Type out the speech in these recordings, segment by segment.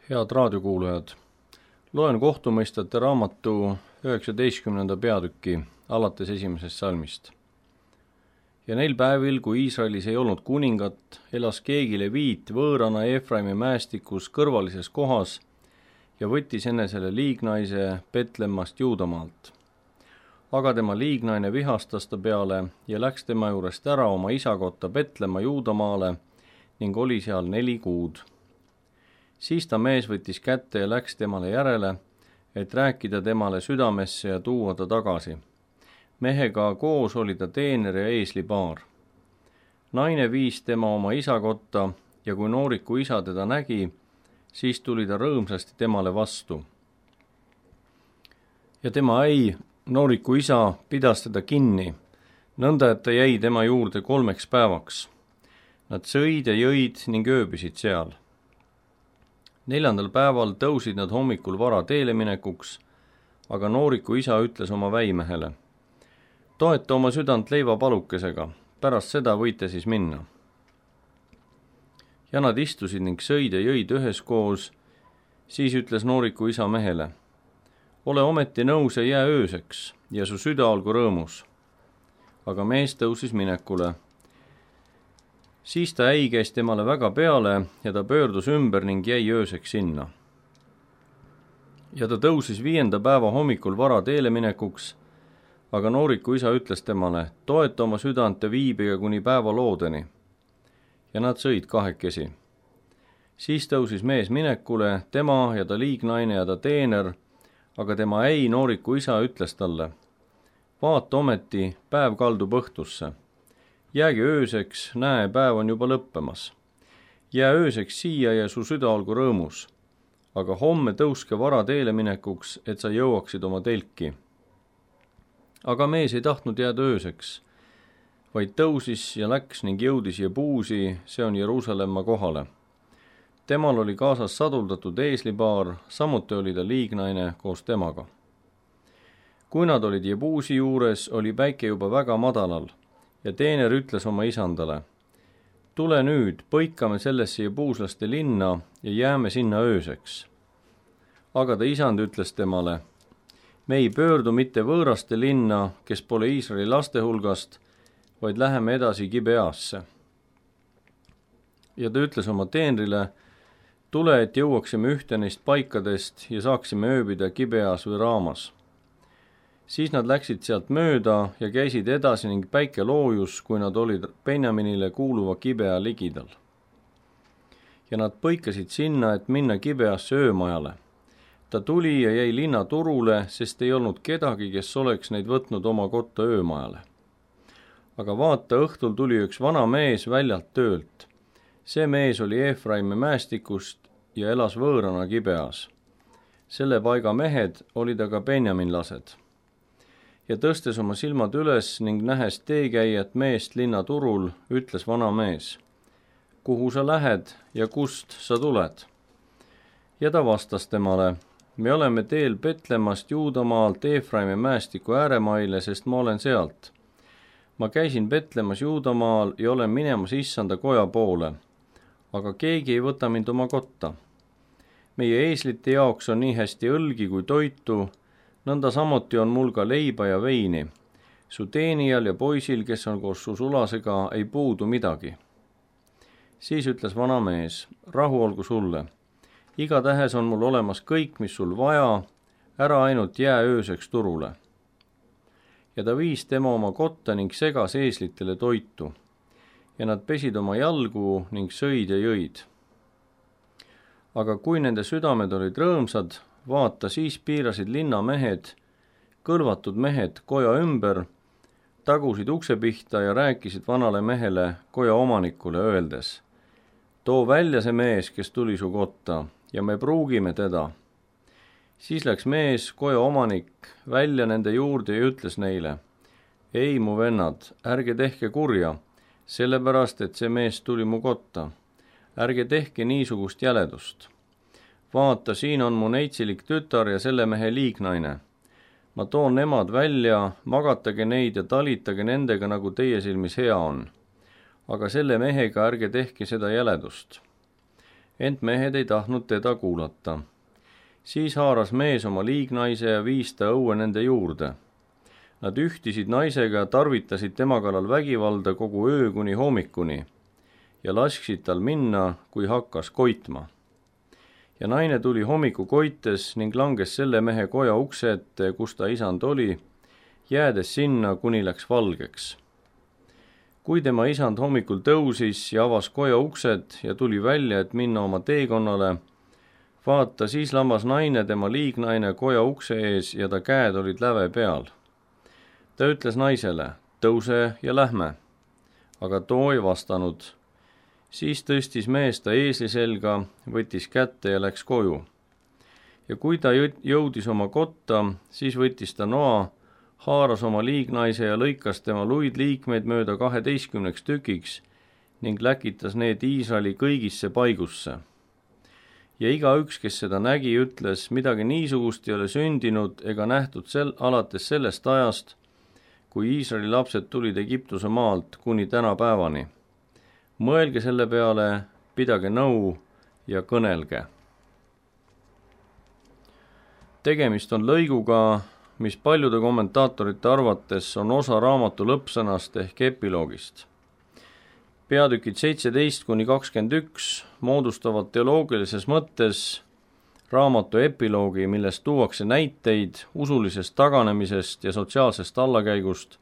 Head raadiokuulajad, loen kohtumõistjate raamatu 19. peatüki alates 1. salmist. Ja neil päevil, kui Iisraelis ei olnud kuningat, elas keegi leviit võõrana Efraimi mäestikus kõrvalises kohas ja võttis enesele liignaise Betlemmast Juudamaalt. Aga tema liignaine vihastas ta peale ja läks tema juurest ära oma isa kotta Betlemma Juudamaale ning oli seal 4 kuud. Siis ta mees võttis kätte ja läks temale järele, et rääkida temale südamesse ja tuua ta tagasi. Mehega koos oli ta teener ja eeslipaar. Naine viis tema oma isa kotta ja kui nooriku isa teda nägi, siis tuli ta rõõmsasti temale vastu. Ja tema nooriku isa pidas teda kinni, nõnda et ta jäi tema juurde 3 päevaks. Nad sõid ja jõid ning ööbisid seal. 4. päeval tõusid nad hommikul vara teele minekuks, aga nooriku isa ütles oma väimehele: toeta oma südant leivapalukesega, pärast seda võite siis minna. Ja nad istusid ning sõid ja jõid üheskoos, siis ütles nooriku isa mehele: ole ometi nõus ja jää ööseks ja su süda olgu rõõmus. Aga mees tõusis minekule. Siis ta käis temale väga peale ja ta pöördus ümber ning jäi ööseks sinna. Ja ta tõusis 5. päeva hommikul vara teele minekuks, aga nooriku isa ütles temale: toeta oma südant ja viibige kuni päeva loodeni. Ja nad sõid 2. Siis tõusis mees minekule, tema ja ta liignaine ja ta teener, aga tema nooriku isa ütles talle: vaata ometi, päev kaldub õhtusse. Jäägi ööseks, näe, päev on juba lõppemas. Jää ööseks siia ja su süda olgu rõõmus. Aga homme tõuske vara teele minekuks, et sa jõuaksid oma telki. Aga mees ei tahtnud jääda ööseks, vaid tõusis ja läks ning jõudis Jebuusi, see on Jeruusalemma kohale. Temal oli kaasas saduldatud eeslipaar, samuti oli ta liignaine koos temaga. Kui nad olid Jebuusi juures, oli päike juba väga madalal. Ja teener ütles oma isandale: tule nüüd, põikame sellesse jebuuslaste linna ja jääme sinna ööseks. Aga ta isand ütles temale: me ei pöördu mitte võõraste linna, kes pole Iisraeli laste hulgast, vaid läheme edasi Gibeasse. Ja ta ütles oma teenrile: tule, et jõuaksime ühte neist paikadest ja saaksime ööbida Gibeas või Raamas. Siis nad läksid sealt mööda ja käisid edasi ning päike loojus, kui nad olid Benjaminile kuuluva Gibea ligidal. Ja nad põikasid sinna, et minna Gibeasse öömajale. Ta tuli ja jäi linna turule, sest ei olnud kedagi, kes oleks neid võtnud oma kotta öömajale. Aga vaata, õhtul tuli üks vana mees väljalt töölt. See mees oli Efraimi mäestikust ja elas võõrana Gibeas. Selle paiga mehed olid aga benjaminlased. Ja tõstes oma silmad üles ning nähes teekäijat meest linna turul, ütles vana mees: kuhu sa lähed ja kust sa tuled? Ja ta vastas temale: me oleme teel Betlemmast Juudamaalt Efraimi mäestiku ääremaile, sest ma olen sealt. Ma käisin Betlemmas Juudamaal ja olen minemas issanda koja poole, aga keegi ei võta mind oma kotta. Meie eeslite jaoks on nii hästi õlgi kui toitu, nõnda samuti on mul ka leiba ja veini. Su teenijal ja poisil, kes on koos su sulasega, ei puudu midagi. Siis ütles vana mees: rahu olgu sulle. Igatähes on mul olemas kõik, mis sul vaja, ära ainult jää ööseks turule. Ja ta viis tema oma kotta ning segas eeslitele toitu. Ja nad pesid oma jalgu ning sõid ja jõid. Aga kui nende südamed olid rõõmsad, vaata, siis piirasid linnamehed, kõlvatud mehed koja ümber, tagusid ukse pihta ja rääkisid vanale mehele, koja omanikule, öeldes: too välja see mees, kes tuli su kotta, ja me pruugime teda. Siis läks mees, koja omanik, välja nende juurde ja ütles neile: ei, mu vennad, ärge tehke kurja, sellepärast, et see mees tuli mu kotta. Ärge tehke niisugust jäledust. Vaata, siin on mu netsilik tütar ja selle mehe liignaine. Ma toon nemad välja, magatage neid ja talitage nendega, nagu teie silmis hea on. Aga selle mehega ärge tehke seda jäledust. ent mehed ei tahtnud teda kuulata. Siis haaras mees oma liignaise ja viis ta õue nende juurde. Nad ühtisid naisega ja tarvitasid tema kallal vägivalda kogu öö kuni hommikuni ja lasksid tal minna, kui hakkas koitma. Ja naine tuli hommiku koites ning langes selle mehe koja ukse ette, kus ta isand oli, jäädes sinna, kuni läks valgeks. Kui tema isand hommikul tõusis ja avas koja uksed ja tuli välja, et minna oma teekonnale, vaata, siis lammas naine, tema liignaine, koja ukse ees ja ta käed olid läve peal. Ta ütles naisele, tõuse ja lähme, aga too ei vastanud. Siis tõstis mees ta eesli selga, võttis kätte ja läks koju. Ja kui ta jõudis oma kotta, siis võttis ta noa, haaras oma liignaise ja lõikas tema luid liikmeid mööda 12 tükiks ning läkitas need Iisraeli kõigisse paigusse. Ja igaüks, kes seda nägi, ütles, midagi niisugust ei ole sündinud ega nähtud alates sellest ajast, kui Iisraeli lapsed tulid Egiptuse maalt kuni tänapäevani. Mõelge selle peale, pidage nõu ja kõnelge. Tegemist on lõiguga, mis paljude kommentaatorite arvates on osa raamatu lõppsõnast ehk epiloogist. Peatükid 17-21 moodustavad teoloogilises mõttes raamatu epiloogi, millest tuuakse näiteid usulisest taganemisest ja sotsiaalsest allakäigust,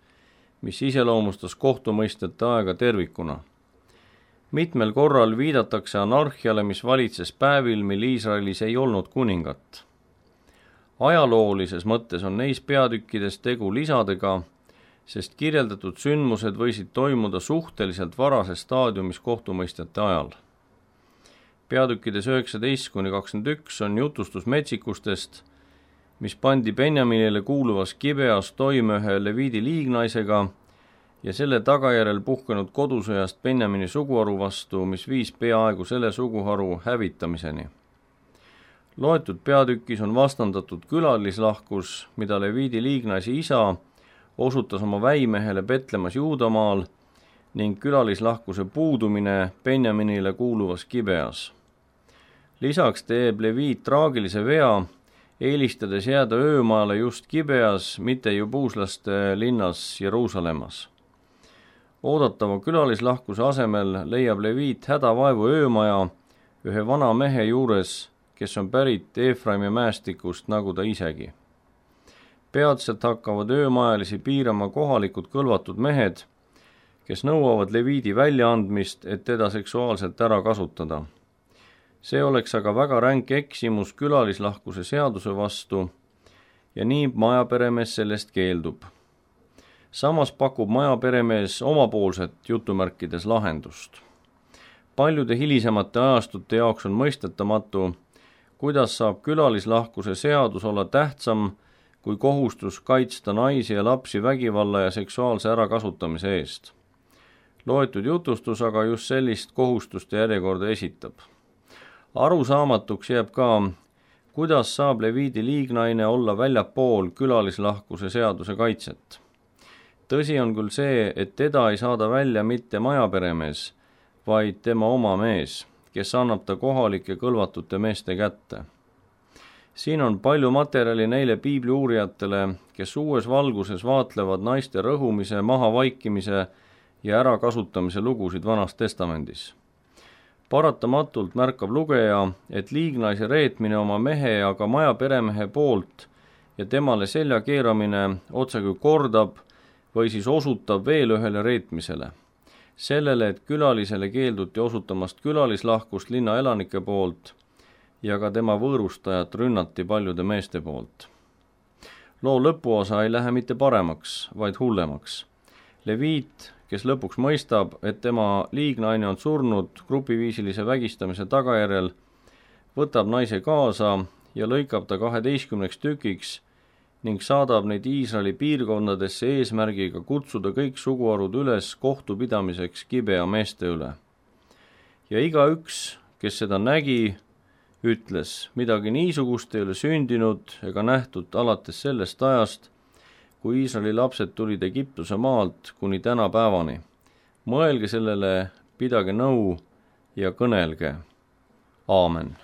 mis iseloomustas kohtumõistjate aega tervikuna. Mitmel korral viidatakse anarhiale, mis valitses päevil, mil Iisraelis ei olnud kuningat. Ajaloolises mõttes on neis peatükkides tegu lisadega, sest kirjeldatud sündmused võisid toimuda suhteliselt varases staadiumis kohtumõistjate ajal. Peatükkides 19-21 on jutustus metsikustest, mis pandi Benjaminile kuuluvas Gibeas toime ühe Leviidi liignaisega ja selle tagajärjel puhkenud kodusõjast Benjamini suguharu vastu, mis viis peaaegu selle suguharu hävitamiseni. Loetud peatükis on vastandatud külalislahkus, mida Leviidi liignaisi isa osutas oma väimehele Betlemas Juudamaal ning külalislahkuse puudumine Benjaminile kuuluvas Gibeas. Lisaks teeb Leviit traagilise vea, eelistades jääda öömaale just Gibeas, mitte jubuuslaste linnas Jeruusalemmas. Oodatava külalislahkuse asemel leiab Leviit hädavaevu öömaja ühe vana mehe juures, kes on pärit Eefraimi mäestikust, nagu ta isegi. Peatselt hakkavad öömajalisi piirama kohalikud kõlvatud mehed, kes nõuavad Leviidi väljaandmist, et teda seksuaalselt ära kasutada. See oleks aga väga ränk eksimus külalislahkuse seaduse vastu ja nii majaperemees sellest keeldub. Samas pakub majaperemees omapoolset jutumärkides lahendust. Paljude hilisemate ajastute jaoks on mõistetamatu, kuidas saab külalislahkuse seadus olla tähtsam kui kohustus kaitsta naisi ja lapsi vägivalla ja seksuaalse ärakasutamise eest. Loetud jutustus aga just sellist kohustuste järjekorda esitab. Arusaamatuks jääb ka, kuidas saab Leviidi liignaine olla väljapool külalislahkuse seaduse kaitset. Tõsi on küll see, et teda ei saada välja mitte majaperemees, vaid tema oma mees, kes annab ta kohalike kõlvatute meeste kätte. Siin on palju materjali neile piibliuurijatele, kes uues valguses vaatlevad naiste rõhumise, mahavaikimise ja ärakasutamise lugusid Vanas Testamendis. Paratamatult märkab lugeja, et liignaise reetmine oma mehe ja ka majaperemehe poolt ja temale selja keeramine otsekui kordab või siis osutab veel ühele reetmisele. Sellele, et külalisele keelduti osutamast külalislahkust linna elanike poolt ja ka tema võõrustajat rünnati paljude meeste poolt. Loo lõpuosa ei lähe mitte paremaks, vaid hullemaks. Leviit, kes lõpuks mõistab, et tema liignaine on surnud grupiviisilise vägistamise tagajärjel, võtab naise kaasa ja lõikab ta 12 tükiks ning saadab neid Iisraeli piirkondadesse eesmärgiga kutsuda kõik suguharud üles kohtupidamiseks Gibea meeste üle. Ja igaüks, kes seda nägi, ütles, midagi niisugust ei ole sündinud ega nähtud alates sellest ajast, kui Iisraeli lapsed tulid Egiptuse maalt kuni tänapäevani. Mõelge sellele, pidage nõu ja kõnelge. aamen